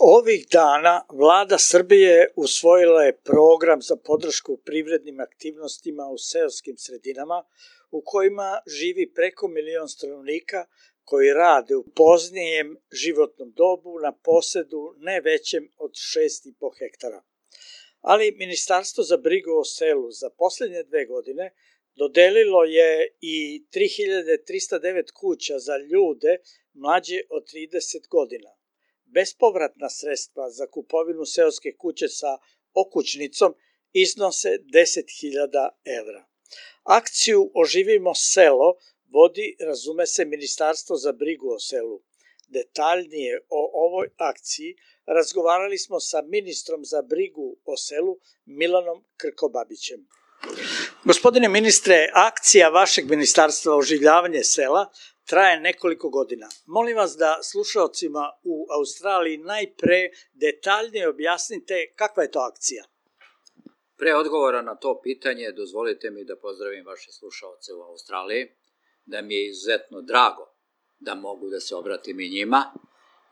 Ovih dana Vlada Srbije usvojila je program za podršku privrednim aktivnostima u seoskim sredinama u kojima živi preko 1.000.000 stanovnika koji rade u poznijem životnom dobu na posedu ne većem od 6,5 hektara. Ali Ministarstvo za brigu o selu za poslednje 2 godine dodelilo je i 3.309 kuća za ljude mlađe od 30 godina. Bespovratna sredstva za kupovinu seoske kuće sa okućnicom iznose 10.000 evra. Akciju Oživimo selo vodi, razume se, Ministarstvo za brigu o selu. Detaljnije o ovoj akciji razgovarali smo sa ministrom za brigu o selu Milanom Krkobabićem. Gospodine ministre, akcija vašeg ministarstva Oživljavanje sela traje nekoliko godina. Molim vas da slušaocima u Australiji najpre detaljnije objasnite kakva je to akcija. Pre odgovora na to pitanje, dozvolite mi da pozdravim vaše slušaoce u Australiji, da mi je izuzetno drago da mogu da se obratim i njima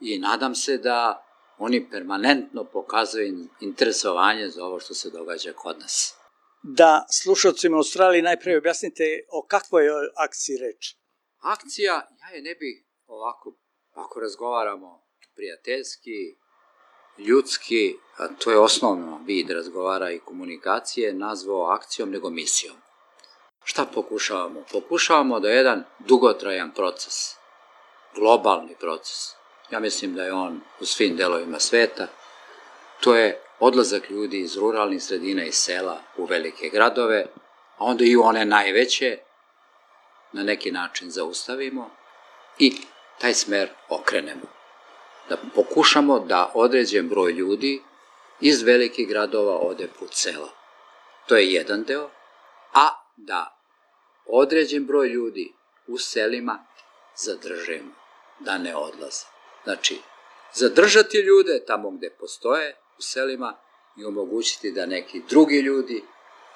i nadam se da oni permanentno pokazuju interesovanje za ovo što se događa kod nas. Da slušaocima u Australiji najpre objasnite o kakvoj akciji reč. Akcija, ja je ne bih ovako, ako razgovaramo prijateljski, ljudski, a to je osnovno vid razgovara i komunikacije, nazvao akcijom nego misijom. Šta pokušavamo? Pokušavamo da je jedan dugotrajan proces, globalni proces. Ja mislim da je on u svim delovima sveta. To je odlazak ljudi iz ruralnih sredina i sela u velike gradove, a onda i u one najveće na neki način zaustavimo i taj smer okrenemo. Da pokušamo da određen broj ljudi iz velikih gradova ode put sela. To je jedan deo, a da određen broj ljudi u selima zadržimo, da ne odlaze. Znači, zadržati ljude tamo gde postoje u selima i omogućiti da neki drugi ljudi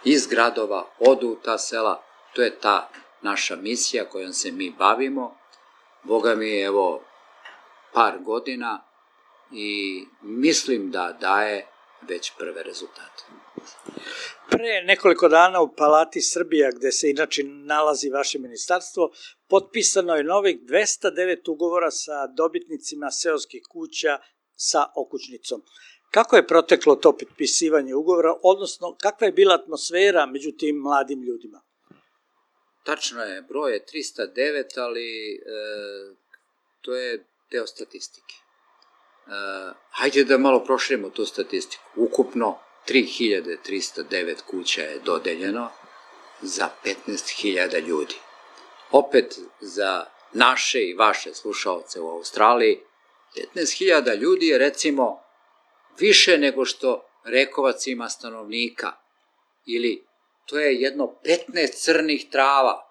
iz gradova odu u ta sela. To je ta naša misija kojom se mi bavimo. Boga mi je evo par godina i mislim da daje već prve rezultate. Pre nekoliko dana u Palati Srbija, gde se inače nalazi vaše ministarstvo, potpisano je novih 209 ugovora sa dobitnicima seoskih kuća sa okućnicom. Kako je proteklo to potpisivanje ugovora, odnosno kakva je bila atmosfera među tim mladim ljudima? Tačno je, broj je 309, ali to je deo statistike. Hajde da malo proširimo tu statistiku. Ukupno 3.309 kuća je dodeljeno za 15.000 ljudi. Opet za naše i vaše slušaoce u Australiji, 15.000 ljudi je recimo više nego što Rekovac ima stanovnika, ili to je jedno 15 crnih trava.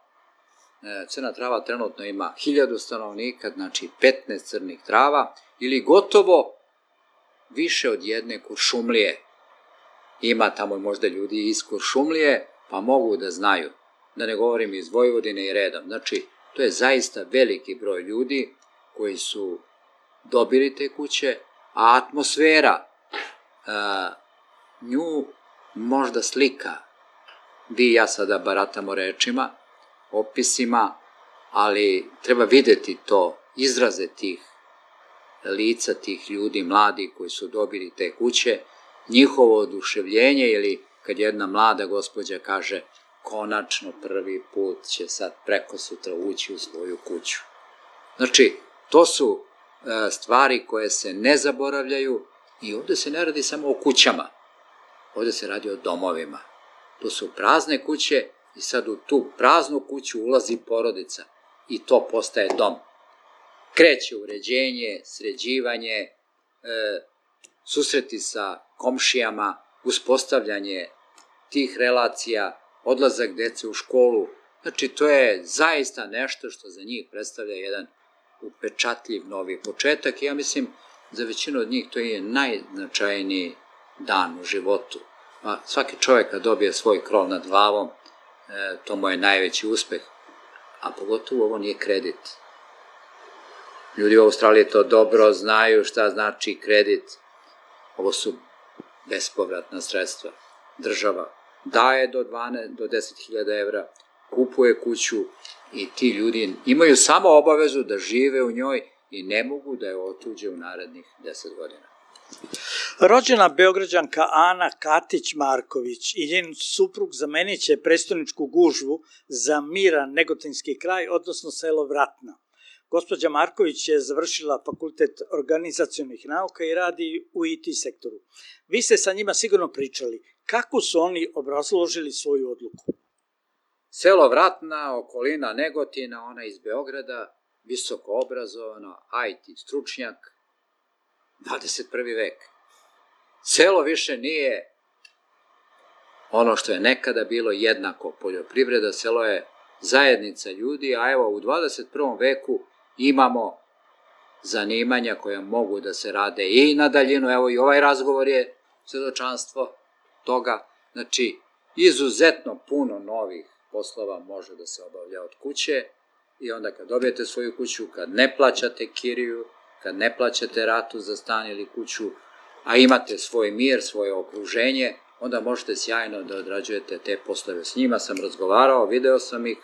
Crna trava trenutno ima 1.000 stanovnika, znači 15 crnih trava, ili gotovo više od jedne Kuršumlije. Ima tamo možda ljudi iz Kuršumlije, pa mogu da znaju, da ne govorim iz Vojvodine i redom. Znači, to je zaista veliki broj ljudi koji su dobili te kuće, a atmosfera nju možda slika. Vi i ja sada baratamo rečima, opisima, ali treba videti to, izraze tih lica, tih ljudi, mladi koji su dobili te kuće, njihovo oduševljenje, ili kad jedna mlada gospođa kaže konačno prvi put će sad preko sutra ući u svoju kuću. Znači, to su stvari koje se ne zaboravljaju i ovde se ne radi samo o kućama, ovde se radi o domovima. To su prazne kuće i sad u tu praznu kuću ulazi porodica i to postaje dom. Kreće uređenje, sređivanje, susreti sa komšijama, uspostavljanje tih relacija, odlazak dece u školu. Znači, to je zaista nešto što za njih predstavlja jedan upečatljiv novi početak i ja mislim za većinu od njih to je najznačajniji dan u životu. Svaki čovjek kad dobije svoj krov nad glavom, to mu je najveći uspeh, a pogotovo ovo nije kredit. Ljudi u Australiji to dobro znaju šta znači kredit. Ovo su bespovratna sredstva. Država daje do 10.000 evra, kupuje kuću i ti ljudi imaju samo obavezu da žive u njoj i ne mogu da je otuđe u narednih 10 godina. Rođena Beograđanka Ana Katić-Marković i njen suprug zamenit će prestoničku gužvu za miran Negotinski kraj, odnosno selo Vratna. Gospođa Marković je završila fakultet organizacionih nauka i radi u IT sektoru. Vi ste sa njima sigurno pričali. Kako su oni obrazložili svoju odluku? Selo Vratna, okolina Negotina, ona iz Beograda, visoko obrazovana, IT stručnjak, 21. vek. Selo više nije ono što je nekada bilo jednako poljoprivreda, selo je zajednica ljudi, a evo u 21. veku imamo zanimanja koja mogu da se rade i na daljinu, evo i ovaj razgovor je svedočanstvo toga, znači izuzetno puno novih poslova može da se obavlja od kuće i onda kad dobijete svoju kuću, kad ne plaćate kiriju, kad ne plaćate ratu za stan ili kuću, a imate svoj mir, svoje okruženje, onda možete sjajno da odrađujete te poslove. S njima sam razgovarao, video sam ih,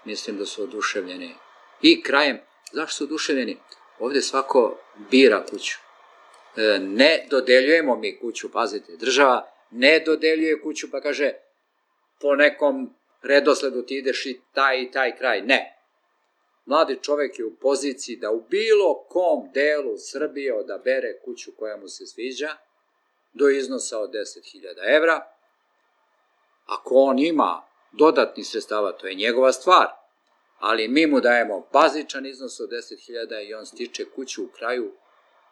mislim da su oduševljeni. I krajem, zašto su oduševljeni? Ovde svako bira kuću. Ne dodeljujemo mi kuću, pazite, država ne dodeljuje kuću pa kaže po nekom redosledu ti ideš i taj kraj. Ne. Mladi čovek je u poziciji da u bilo kom delu Srbije odabere kuću koja mu se sviđa do iznosa od 10.000 evra. Ako on ima dodatnih sredstava, to je njegova stvar, ali mi mu dajemo bazičan iznos od 10.000 i on stiče kuću u kraju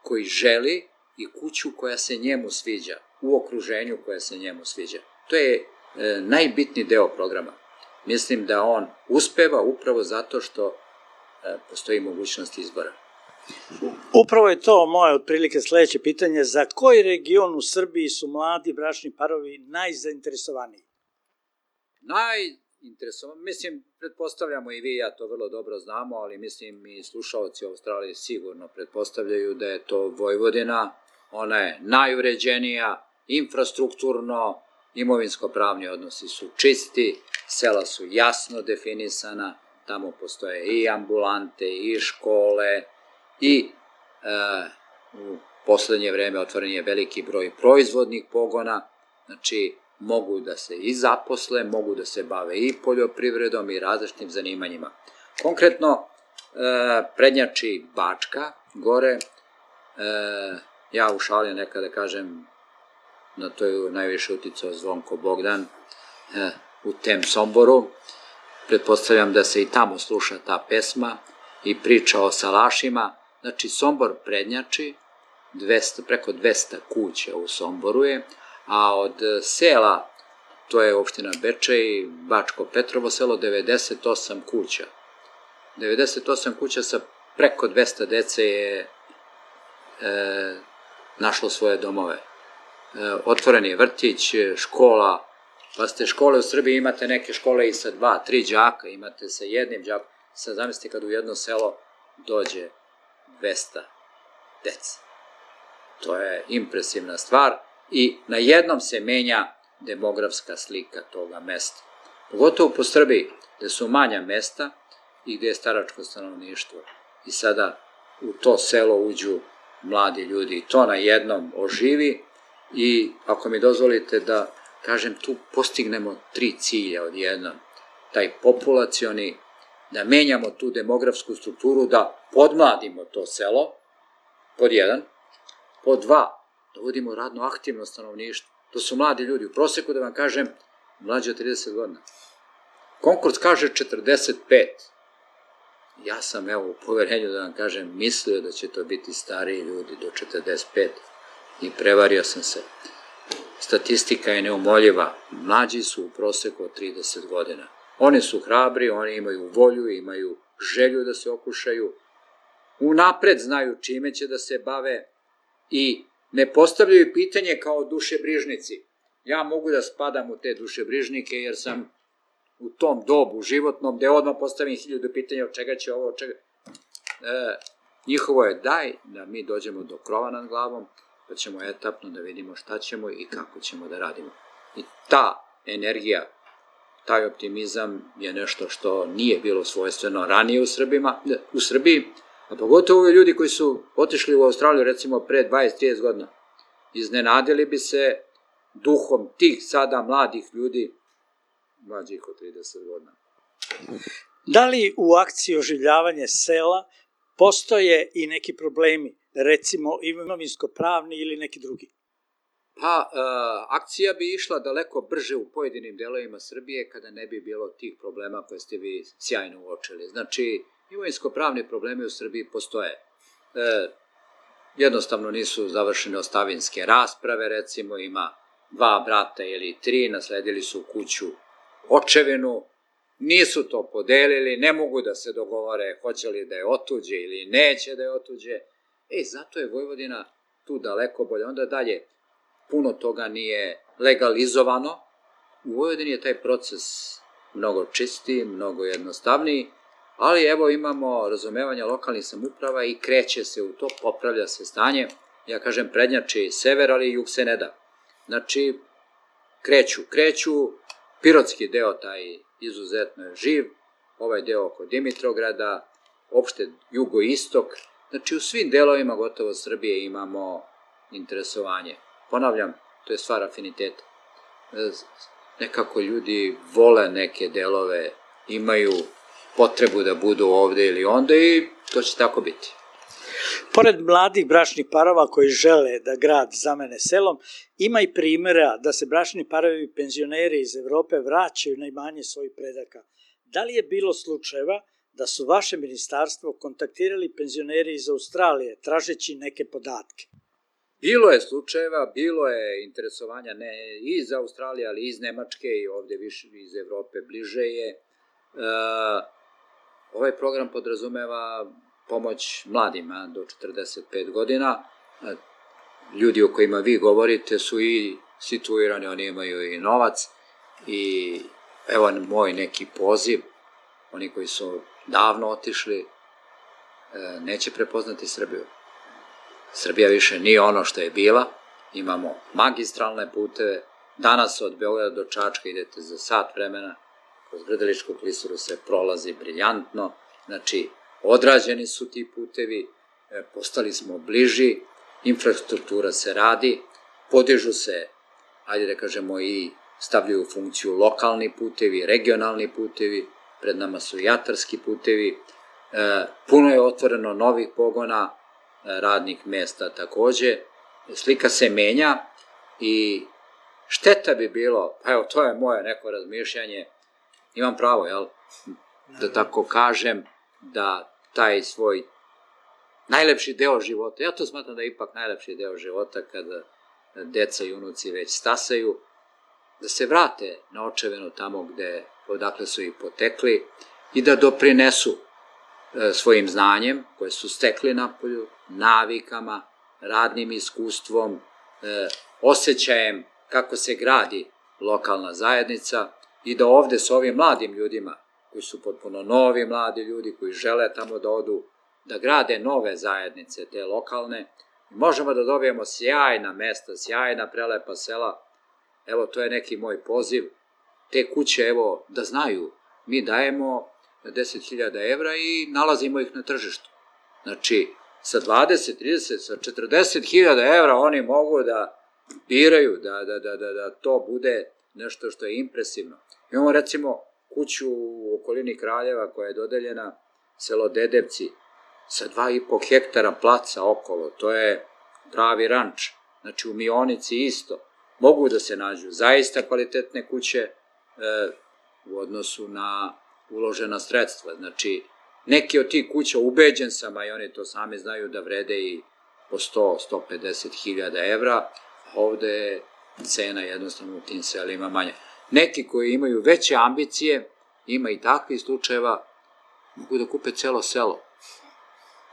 koji želi i kuću koja se njemu sviđa, u okruženju koja se njemu sviđa. To je najbitniji deo programa. Mislim da on uspeva upravo zato što postoji mogućnost izbora. Upravo je to moje otprilike sledeće pitanje. Za koji region u Srbiji su mladi bračni parovi najzainteresovaniji? Mislim, pretpostavljamo i vi, ja to vrlo dobro znamo, ali mislim i slušalci u Australiji sigurno pretpostavljaju da je to Vojvodina. Ona je najuređenija, infrastrukturno, imovinsko-pravni odnosi su čisti, sela su jasno definisana, tamo postoje i ambulante, i škole, i u poslednje vreme otvoren je veliki broj proizvodnih pogona, znači mogu da se i zaposle, mogu da se bave i poljoprivredom i različitim zanimanjima. Konkretno, prednjači Bačka, gore, ja u šali nekada kažem, na to je najviše uticao Zvonko Bogdan u tem Somboru, pretpostavljam da se i tamo sluša ta pesma i priča o salašima, znači Sombor prednjači, preko 200 kuća u Somboru je, a od sela, to je opština Bečej, Bačko Petrovo selo, 98 kuća. 98 kuća sa preko 200 dece je našlo svoje domove. Otvoren je vrtić, škola, pa ste škole u Srbiji, imate neke škole i sa 2-3 đaka, imate sa jednim đakom, sad zamislite kad u jedno selo dođe 200 dece. To je impresivna stvar i na jednom se menja demografska slika toga mesta. Pogotovo po Srbiji, gde su manja mesta i gde je staračko stanovništvo. I sada u to selo uđu mladi ljudi i to na jednom oživi i ako mi dozvolite da kažem, tu postignemo 3 cilja odjednom. Taj populacioni, da menjamo tu demografsku strukturu, da podmladimo to selo, pod 1, pod 2, da uvodimo radno aktivno stanovništvo. To su mladi ljudi, u proseku da vam kažem, mlađe od 30 godina. Konkurs kaže 45. Ja sam, evo, u poverenju da vam kažem, mislio da će to biti stariji ljudi do 45 i prevario sam se. Statistika je neumoljiva. Mlađi su u proseku od 30 godina. Oni su hrabri, oni imaju volju, imaju želju da se okušaju, unapred znaju čime će da se bave i ne postavljaju pitanje kao dušebrižnici. Ja mogu da spadam u te dušebrižnike jer sam u tom dobu životnom gde odmah postavim 1000 pitanja od čega će ovo, od čega. Njihovo je daj da mi dođemo do krova nad glavom, pa ćemo etapno da vidimo šta ćemo i kako ćemo da radimo. I ta energija, taj optimizam je nešto što nije bilo svojstveno ranije u Srbiji, a pogotovo ljudi koji su otišli u Australiju recimo pre 20-30 godina. Iznenadili bi se duhom tih sada mladih ljudi, mlađih od 30 godina. Da li u akciji oživljavanje sela postoje i neki problemi, recimo imovinsko-pravni ili neki drugi? Pa, akcija bi išla daleko brže u pojedinim delovima Srbije kada ne bi bilo tih problema koje ste vi sjajno uočili. Znači, imovinsko-pravni problemi u Srbiji postoje. Jednostavno nisu završene ostavinske rasprave, recimo ima 2 brata ili 3, nasledili su kuću očevinu, nisu to podelili, ne mogu da se dogovore hoće li da je otuđe ili neće da je otuđe. Zato je Vojvodina tu daleko bolje. Onda dalje, puno toga nije legalizovano. U Vojvodini je taj proces mnogo čistiji, mnogo jednostavniji, ali evo imamo razumevanja lokalnih samouprava i kreće se u to, popravlja se stanje. Ja kažem prednjači sever, ali jug se ne da. Znači, kreću, pirotski deo taj izuzetno je živ, ovaj deo oko Dimitrograda, opšte jugoistok, znači u svim delovima gotovo Srbije imamo interesovanje. Ponavljam, to je stvar afiniteta. Nekako ljudi vole neke delove, imaju potrebu da budu ovde ili onda i to će tako biti. Pored mladih bračnih parova koji žele da grad zamene selom, ima i primjera da se bračni parovi i penzioneri iz Evrope vraćaju na imanje svojih predaka. Da li je bilo slučajeva da su vaše ministarstvo kontaktirali penzioneri iz Australije tražeći neke podatke? Bilo je slučajeva, bilo je interesovanja ne iz Australije, ali iz Nemačke i ovde više iz Evrope bliže je. Ovaj program podrazumeva pomoć mladima do 45 godina. Ljudi o kojima vi govorite su i situirani, oni imaju i novac i evo moj neki poziv, oni koji su davno otišli, neće prepoznati Srbiju. Srbija više nije ono što je bila, imamo magistralne puteve, danas od Beograda do Čačka idete za sat vremena, kroz Grdeličku klisuru se prolazi briljantno, znači odrađeni su ti putevi, postali smo bliži, infrastruktura se radi, podižu se, ajde da kažemo i stavljaju u funkciju lokalni putevi, regionalni putevi, pred nama su i atarski putevi, puno je otvoreno novih pogona, radnih mesta takođe, slika se menja i šteta bi bilo, pa evo to je moje neko razmišljanje, imam pravo, jel, da tako kažem, da taj svoj najlepši deo života, ja to smatram da je ipak najlepši deo života kada deca i unuci već stasaju, da se vrate na očevinu tamo odakle su i potekli i da doprinesu svojim znanjem koje su stekli napolju, navikama, radnim iskustvom, osjećajem kako se gradi lokalna zajednica i da ovde s ovim mladim ljudima, koji su potpuno novi mladi ljudi, koji žele tamo da odu, da grade nove zajednice, te lokalne, možemo da dobijemo sjajna mesta, sjajna prelepa sela. Evo, to je neki moj poziv. Te kuće, evo, da znaju, mi dajemo 10.000 evra i nalazimo ih na tržištu. Znači, sa 20, 30, sa 40.000 evra oni mogu da biraju, da to bude nešto što je impresivno. Imamo recimo kuću u okolini Kraljeva koja je dodeljena, selo Dedevci, sa 2,5 hektara placa okolo, to je pravi ranč. Znači u Mionici isto, mogu da se nađu zaista kvalitetne kuće u odnosu na uložena sredstva. Znači, neki od tih kuća, ubeđen sam, a i oni to sami znaju da vrede i po 100-150.000 evra, a ovde je cena jednostavno u tim selima manja. Neki koji imaju veće ambicije, ima i takvih slučajeva, mogu da kupe celo selo.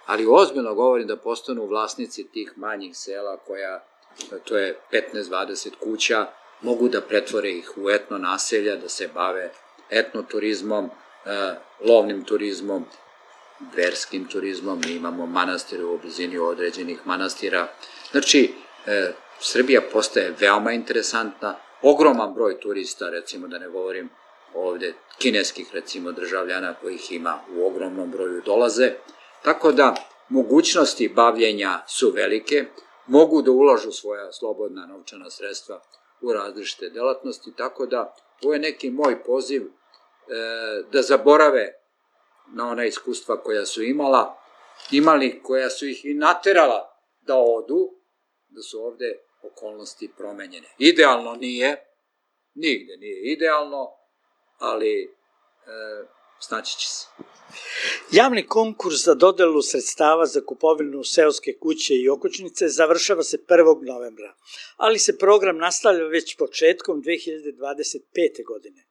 Ali ozbiljno govorim da postanu vlasnici tih manjih sela koja, to je 15-20 kuća, mogu da pretvore ih u etno naselja, da se bave etnoturizmom, lovnim turizmom. verskim turizmom, mi imamo manastire u blizini određenih manastira. Znači, Srbija postaje veoma interesantna, ogroman broj turista, recimo da ne govorim ovde kineskih, recimo državljana kojih ima u ogromnom broju dolaze, tako da mogućnosti bavljenja su velike, mogu da ulažu svoja slobodna novčana sredstva u različite delatnosti, tako da ovo je neki moj poziv da zaborave na ona iskustva koja su imali, koja su ih i naterala da odu, da su ovde okolnosti promenjene. Idealno nije, nigde nije idealno, ali snaći će se. Javni konkurs za dodelu sredstava za kupovinu seoske kuće i okućnice završava se 1. novembra, ali se program nastavlja već početkom 2025. godine.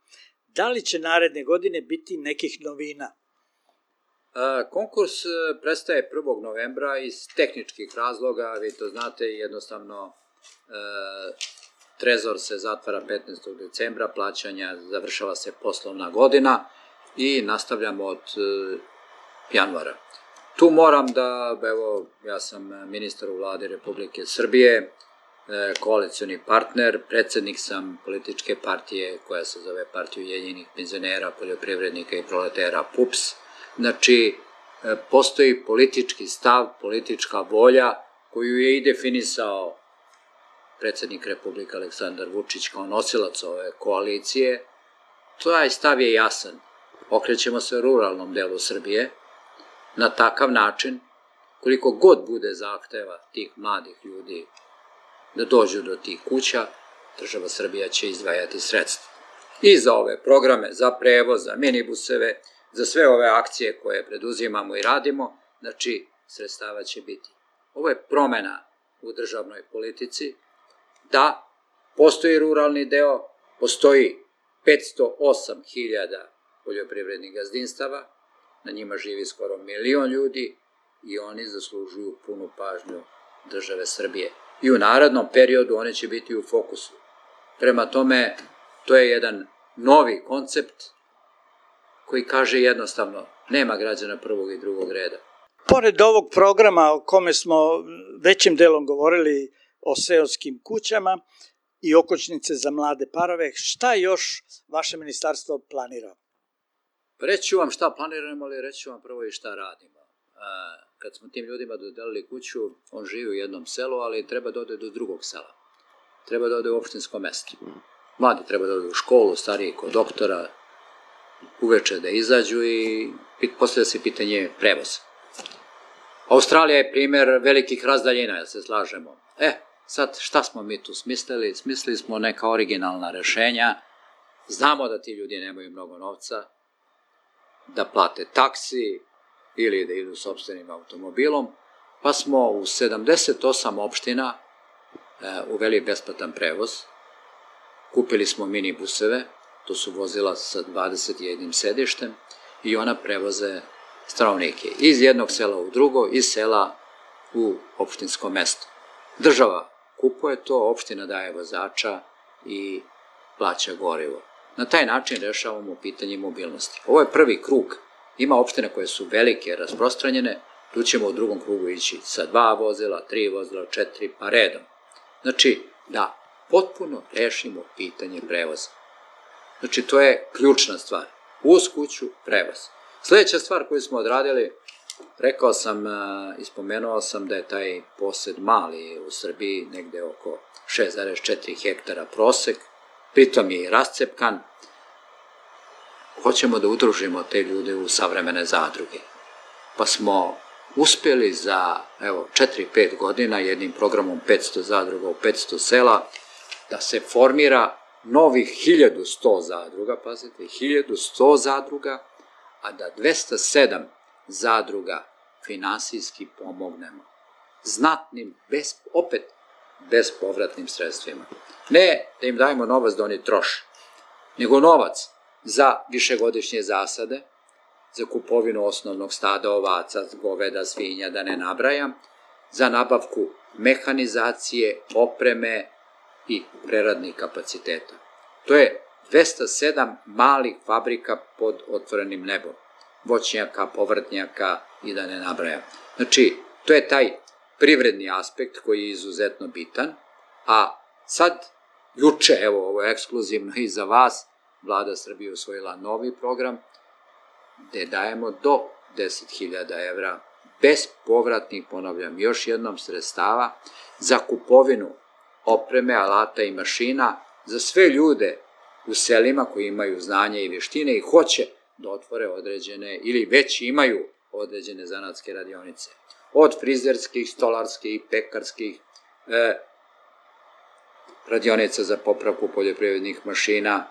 Da li će naredne godine biti nekih novina? Konkurs prestaje 1. novembra iz tehničkih razloga, vi to znate, jednostavno trezor se zatvara 15. decembra, plaćanja, završava se poslovna godina i nastavljamo od januara. Tu moram da, evo, ja sam ministar u vladi Republike Srbije, koalicioni partner, predsednik sam političke partije koja se zove Partija ujedinjenih penzionera, poljoprivrednika i proletera PUPS. Znači, postoji politički stav, politička volja koju je i definisao predsednik Republike Aleksandar Vučić kao nosilac ove koalicije. Taj stav je jasan. Okrećemo se ruralnom delu Srbije na takav način, koliko god bude zahteva tih mladih ljudi da dođu do tih kuća, država Srbija će izdvajati sredstva. I za ove programe, za prevoz, za minibuseve, za sve ove akcije koje preduzimamo i radimo, znači sredstava će biti. Ovo je promena u državnoj politici, da postoji ruralni deo, postoji 508.000 poljoprivrednih gazdinstava, na njima živi skoro 1 milion ljudi i oni zaslužuju punu pažnju države Srbije. I u narednom periodu oni će biti u fokusu. Prema tome, to je jedan novi koncept koji kaže jednostavno, nema građana prvog i drugog reda. Pored ovog programa o kome smo većim delom govorili o seoskim kućama i okućnice za mlade parove, šta još vaše ministarstvo planira? Reći ću vam šta planiramo, ali reći ću vam prvo i šta radimo. Kad smo tim ljudima dodelili kuću, on živi u jednom selu, ali treba da ode do drugog sela. Treba da ode u opštinsko mesto. Mladi treba da ode u školu, stariji kod doktora, uveče da izađu i postavlja se pitanje prevoza. Australija je primer velikih razdaljina, se slažemo. Sad šta smo mi tu smislili? Smislili smo neka originalna rešenja. Znamo da ti ljudi nemaju mnogo novca, da plate taksi ili da idu sopstvenim automobilom, pa smo u 78 opština uveli besplatan prevoz, kupili smo minibuseve, to su vozila sa 21 sedištem i ona prevoze stanovnike iz jednog sela u drugo, iz sela u opštinsko mesto. Država kupuje to, opština daje vozača i plaća gorivo. Na taj način rešavamo pitanje mobilnosti. Ovo je prvi krug. Ima opštine koje su velike, rasprostranjene, tu ćemo u drugom krugu ići sa 2 vozila, 3 vozila, 4, pa redom. Znači, da potpuno rešimo pitanje prevoza. Znači, to je ključna stvar. Uz kuću, prevoz. Sledeća stvar koju smo odradili, rekao sam i spomenuo sam da je taj posed mali u Srbiji, negde oko 6,4 hektara prosek, pritom je i rascepkan. Hoćemo da udružimo te ljude u savremene zadruge. Pa smo uspeli za 4-5 godina jednim programom 500 zadruga u 500 sela da se formira novih 1100 zadruga, pazite, 1100 zadruga, a da 207 zadruga finansijski pomognemo. Znatnim, opet bespovratnim sredstvima. Ne da im dajemo novac da oni troše, nego novac za višegodišnje zasade, za kupovinu osnovnog stada ovaca, goveda, svinja, da ne nabrajam, za nabavku mehanizacije, opreme i preradnih kapaciteta. To je 207 malih fabrika pod otvorenim nebom. voćnjaka, povrtnjaka i da ne nabrajam. Znači, to je taj privredni aspekt koji je izuzetno bitan, a sad, juče, evo, ovo je ekskluzivno i za vas, Vlada Srbije usvojila novi program gde dajemo do 10.000 evra bespovratnih, ponavljam još jednom, sredstava za kupovinu opreme, alata i mašina za sve ljude u selima koji imaju znanje i vještine i hoće da otvore određene ili već imaju određene zanatske radionice. Od frizerskih, stolarskih i pekarskih, radionica za popravku poljoprivrednih mašina,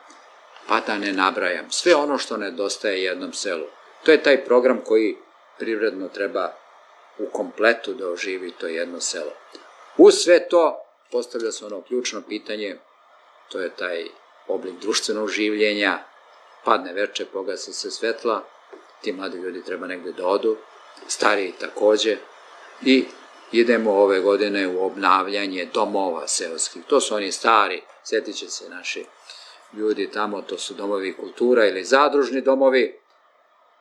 pa da ne nabrajam. Sve ono što nedostaje jednom selu. To je taj program koji privredno treba u kompletu da oživi to jedno selo. Uz sve to postavlja se ono ključno pitanje, to je taj oblik društvenog življenja, padne veče, pogase se svetla, ti mladi ljudi treba negde da odu, stariji takođe, i idemo ove godine u obnavljanje domova seoskih. To su oni stari, sjetit će se naši ljudi tamo, to su domovi kultura ili zadružni domovi.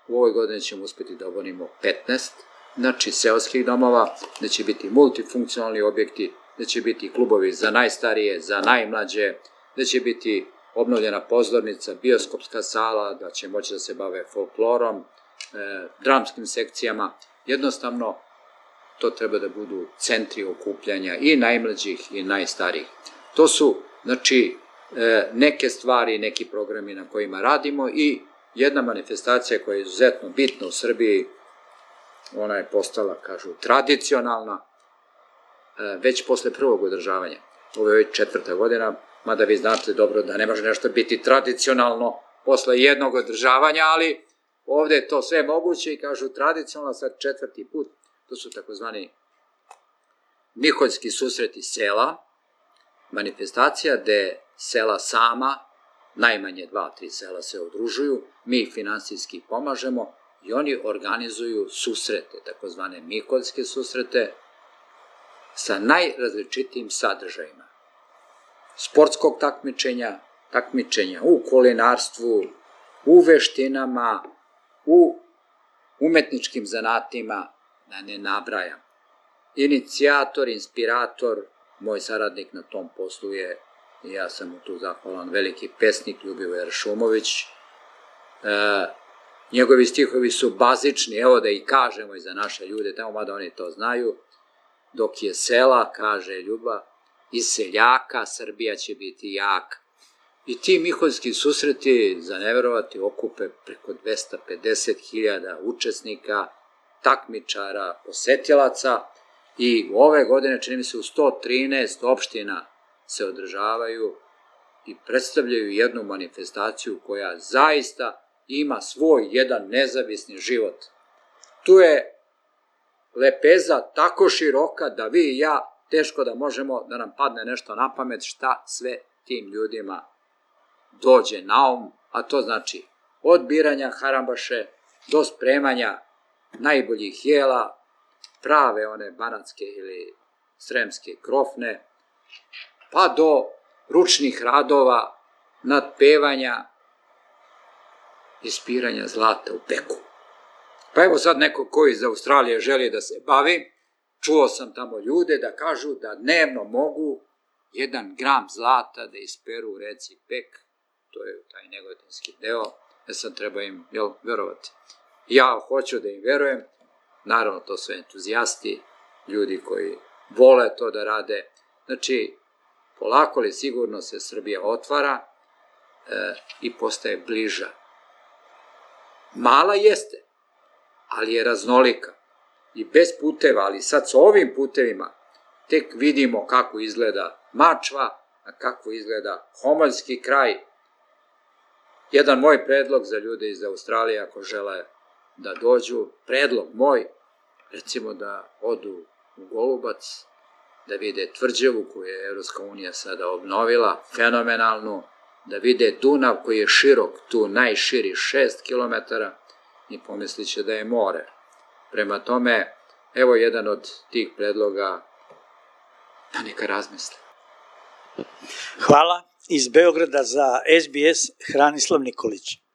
U ovoj godini ćemo uspjeti da obnovimo 15, znači seoskih domova, da će biti multifunkcionalni objekti, da će biti klubovi za najstarije, za najmlađe, da će biti obnovljena pozornica, bioskopska sala, da će moći da se bave folklorom, dramskim sekcijama. Jednostavno, to treba da budu centri okupljanja i najmlađih i najstarijih. To su, znači, neke stvari, neki programi na kojima radimo i jedna manifestacija koja je izuzetno bitna u Srbiji, ona je postala, kažu, tradicionalna, već posle prvog održavanja. Ovo je 4. godina, mada vi znate dobro da ne može nešto biti tradicionalno posle jednog održavanja, ali ovde je to sve moguće i kažu tradicionalno sad 4. put. To su takozvani Miholjski susreti sela, manifestacija gde sela sama, najmanje 2-3 sela se udružuju, mi ih finansijski pomažemo i oni organizuju susrete, takozvane Miholjske susrete, sa najrazličitijim sadržajima. Sportskog takmičenja u kulinarstvu, u veštinama, u umetničkim zanatima, da ne nabrajam. Inicijator, inspirator, moj saradnik na tom poslu je, i ja sam mu tu zahvalan, veliki pesnik Ljubivoje Šumović. Njegovi stihovi su bazični, evo da i kažemo i za naše ljude, tamo mada oni to znaju. Dok je sela, kaže Ljuba, iz seljaka Srbija će biti jaka. I ti Miholjski susreti, za neverovati, okupe preko 250.000 učesnika, takmičara, posetilaca i ove godine, čini mi se, u 113 opština se održavaju i predstavljaju jednu manifestaciju koja zaista ima svoj jedan nezavisni život. Tu je lepeza tako široka da vi i ja teško da možemo da nam padne nešto na pamet šta sve tim ljudima dođe na um, a to znači od biranja harambaše do spremanja najboljih jela, prave one banatske ili sremske krofne, pa do ručnih radova, nadpevanja i spiranja zlata u peku. Pa evo sad neko ko iz Australije želi da se bavi, čuo sam tamo ljude da kažu da dnevno mogu 1 gram zlata da isperu u reci Pek, to je taj negotinski deo, sad treba im, verovati. Ja hoću da im verujem, naravno to su entuzijasti, ljudi koji vole to da rade. Znači, polako li sigurno se Srbija otvara i postaje bliža. Mala jeste, ali je raznolika i bez puteva, ali sad sa ovim putevima tek vidimo kako izgleda Mačva, a kako izgleda Homoljski kraj. Jedan moj predlog za ljude iz Australije, ako žele da dođu, predlog moj, recimo da odu u Golubac, da vide tvrđavu koju je Evropska unija sada obnovila, fenomenalnu, da vide Dunav koji je širok, tu najširi 6 km i pomislit će da je more. Prema tome, evo jedan od tih predloga, da neka razmisle. Hvala. Iz Beograda za SBS Hranislav Nikolić.